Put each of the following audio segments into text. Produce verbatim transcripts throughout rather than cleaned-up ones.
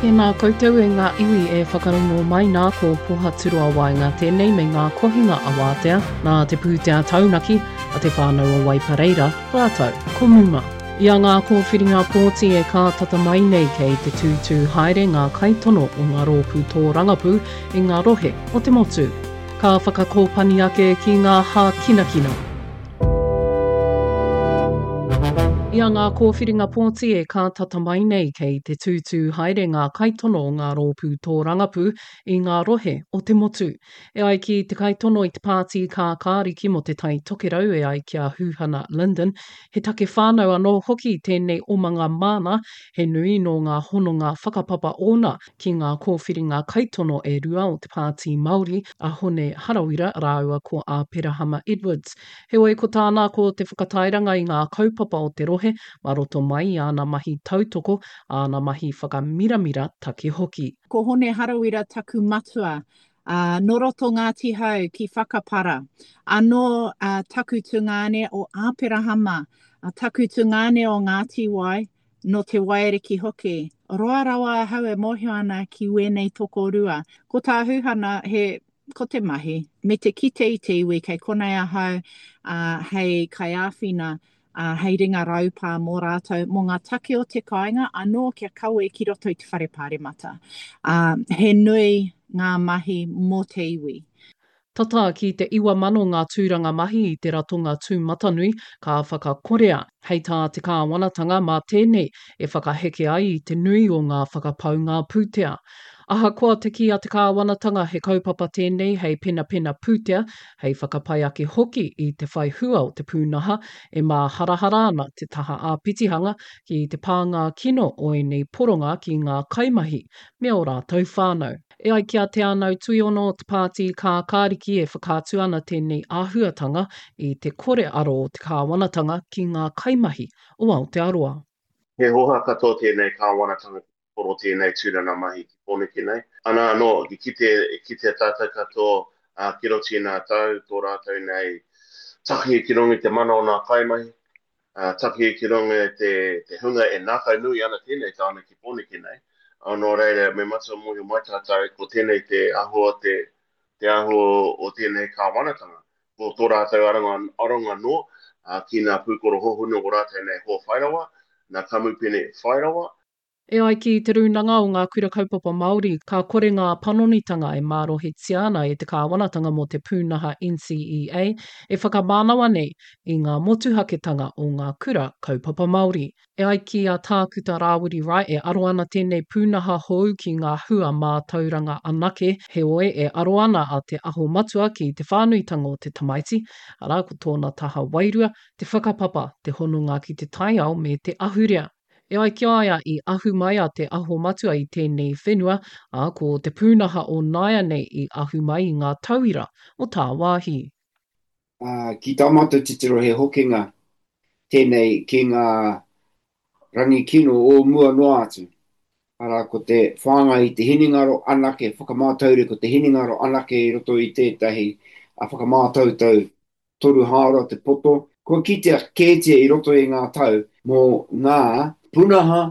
Tēnā koutou e ngā iwi e whakarongo mai nā ko Pohaturoa Waenga tēnei me ngā kohinga awātea nā te pūtea taunaki a te whānau o Waipareira rātou ko Muma. I a ngā kōwhiringa pōti e kātata mai nei kei te tūtū haere ngā kaitono o ngā rōpū tōrangapū i ngā rohe o te motu. Ka whakakōpani ake ki ngā hākinakina. I a ngā kōwhiringa pōti e kātata mai nei kei te tūtū haere ngā kaitono o ngā rōpū tōrangapū i ngā rohe o te motu. E ai ki te kaitono i te pāti kākāriki mō te Tai Tokerau e ai ki a Huhana Lyndon, he take whānau anō hoki tēnei omanga māna, he nui nō ngā hononga whakapapa ōna ki ngā kōwhiringa kaitono e rua o te Pāti Māori, a Hone Harawira rāua ko Āperahama Edwards. Heoi ko tāna ko te whakatairanga i ngā kaupapa o te rohe mā roto mai i āna mahi tautoko, āna mahi whakamiramira take hoki. Ko Hone Harawira taku matua, ā, nō roto Ngāti Hau ki Whakapara. Anō ā, taku tungāne o Āperahama, ā, taku tungāne o Ngāti Wai, nō Te Waiariki hoki. Roa rawa ahau e mōhio ana ki wēnei tokorua. Ko tā Huhana, he, ko te mahi, me te kite i te iwi kei konei ahau, ā, hei kaiāwhina, ā, hei ringa raupā mō rātou, mō ngā take o te kāinga, anō kia kawe ki roto i te whare pāremata. Ā, he nui ngā mahi mō te iwi. Tata ki te iwa mano ngā tūranga mahi i te ratonga tūmatanui ka whakakorea, hei tā te kāwanatanga mā tēnei e whakaheke ai i te nui o ngā whakapaunga pūtea. Ahakoa te kī a te kāwanatanga he kaupapa tēnei hei penapena pūtea, hei whakapai ake hoki i te whai hua o te pūnaha, e māharahara ana te taha āpitihanga ki te pānga kino o ēnei poronga ki ngā kaimahi me ō rātou whānau. E ai ki a Te Anau Tuiono o te Pāti Kākāriki e whakaatu ana tēnei āhuatanga i te kore aro o te kāwanatanga ki ngā kaimahi o Aotearoa. He hoha katoa tēnei kāwanatanga ki te poro tēnei tūranga mahi ki Pōneke nei. Ana anō, i kite, i kitea tātou katoa, ā, ki roto i ngā tau, tō rātou nei taki ki runga i te mana o ngā kaimahi, ā, taki ki runga i te, te hunga e ngākaunui ana tēnei tāone ki Pōneke nei. Ā, nō reira, me matua mōhio mai tātou, ko tēnei te āhua o te, te āhua o tēnei kāwanatanga. Ko tō rātou aronga, aronga noa, ā, ki ngā pūkoro hohonu o rātou nei hoa whairawa, ngā kamupene whairawa. E ai ki Te Rūnanga o Ngā Kura Kaupapa Māori, ka kore ngā panonitanga e mārohitia ana e te kāwanatanga mō te pūnaha NCEA e whakamānawa nei i ngā motuhaketanga o ngā kura kaupapa Māori. E ai ki a Tākuta Rāwiri Wright e aro ana tēnei pūnaha hou ki ngā hua mātauranga anake, heoi e aro ana a Te Aho Matua ki te whānuitanga o te tamaiti, arā ko tōna taha wairua, te whakapapa, te hononga ki te taiao me te ahurea. E ai ki a ia i ahu mai a Te Aho Matua i tēnei whenua, ā, ko te pūnaha o nāianei i ahu mai i ngā tauira o tāwāhi. Ā, ki tā mātou titiro he hokinga tēnei ki ngā rangi kino o mua noa atu. Arā, ko te whāngai i te hinengaro anake, whakamātaure ko te hinengaro anake i roto i tētahi whakamātautau toru hāora te poto. Kua kitea kētia i roto i ngā tau mō ngā punaha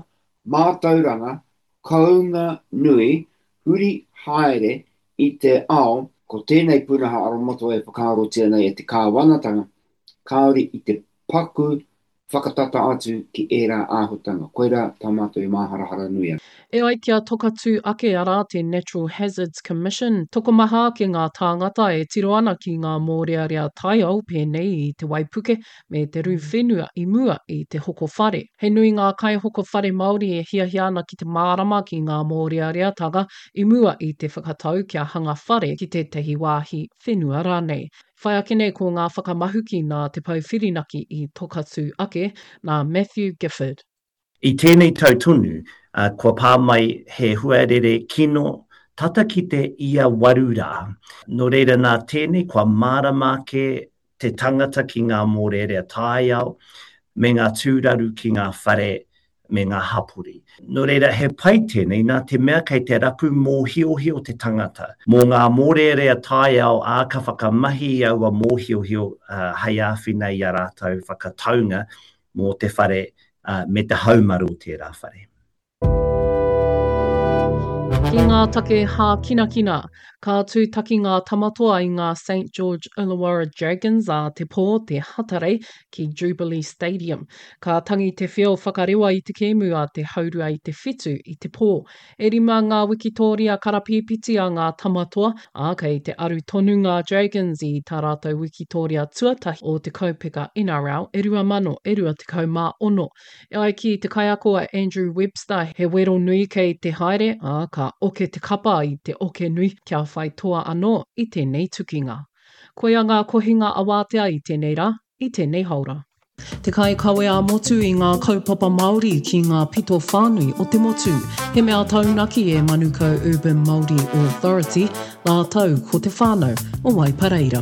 mātauranga kounga nui huri haere i te ao, ko tēnei punaha aromatawai e whakaarotia nei e te kāwanatanga, kāore i te paku whakatata atu ki ērā āhutanga. Koirā tā mātou e māharahara nui ana. E ai ki a Tokatū ake arā te Natural Hazards Commission, tokomaha ake ngā tāngata e tiro ana ki ngā mōrearea taiao pēnei i te waipuke me te rū whenua i mua i te hoko whare. He nui ngā kaihoko whare Māori e hiahia ana ki te mārama ki ngā mōreareatanga i mua i te whakatau kia hanga whare ki tētahi wāhi whenua rānei. Whai ake nei ko ngā whakamahuki nā Te Pou Whirinaki i Tokatū ake, nā Matthew Gifford. I tēnei tau tonu, kua pā mai he huarere kino tata ki te ia waru rā. Nō reira nā tēnei kua mārama ake te tangata ki ngā mōrearea taiao me ngā tūraru ki ngā whare me ngā hapori. Nō reira, he pai tēnei nā te mea kei te rapu mōhiohio te tangata mō ngā mōrearea taiao ā, ka whakamahi i aua mōhiohio hei āwhina i a rātou whakataunga mō te whare me te haumaru o tērā whare. Ki ngā take hākinakina, ka tūtaki ngā Tamatoa i ngā Saint George Illawarra Dragons ā te pō, te Hatarei, ki Jubilee Stadium. Ka tangi te whio whakarewa i te kēmu a te haurua i te whitu i te pō. E rima ngā wikitōria karapīpiti a ngā Tamatoa, ā, kei te aru tonu ngā Dragons i tā rātou wikitōria tuatahi o te kaupeka N R L e rua mano e rua tekau mā ono. E ai ki te kaiako a Andrew Webster, he wero nui kei te haere, ā, ka oke te kapa i te oke nui kia whai toa anō i tēnei tukinga. Koia ngā kohinga awātea i tēnei rā, i tēnei haora. Te kaikawe ā-motu i ngā kaupapa Māori ki ngā pito whānui o te motu. He mea taunaki e Manukau Urban Māori Authority, rātou ko te whānau o Waipareira.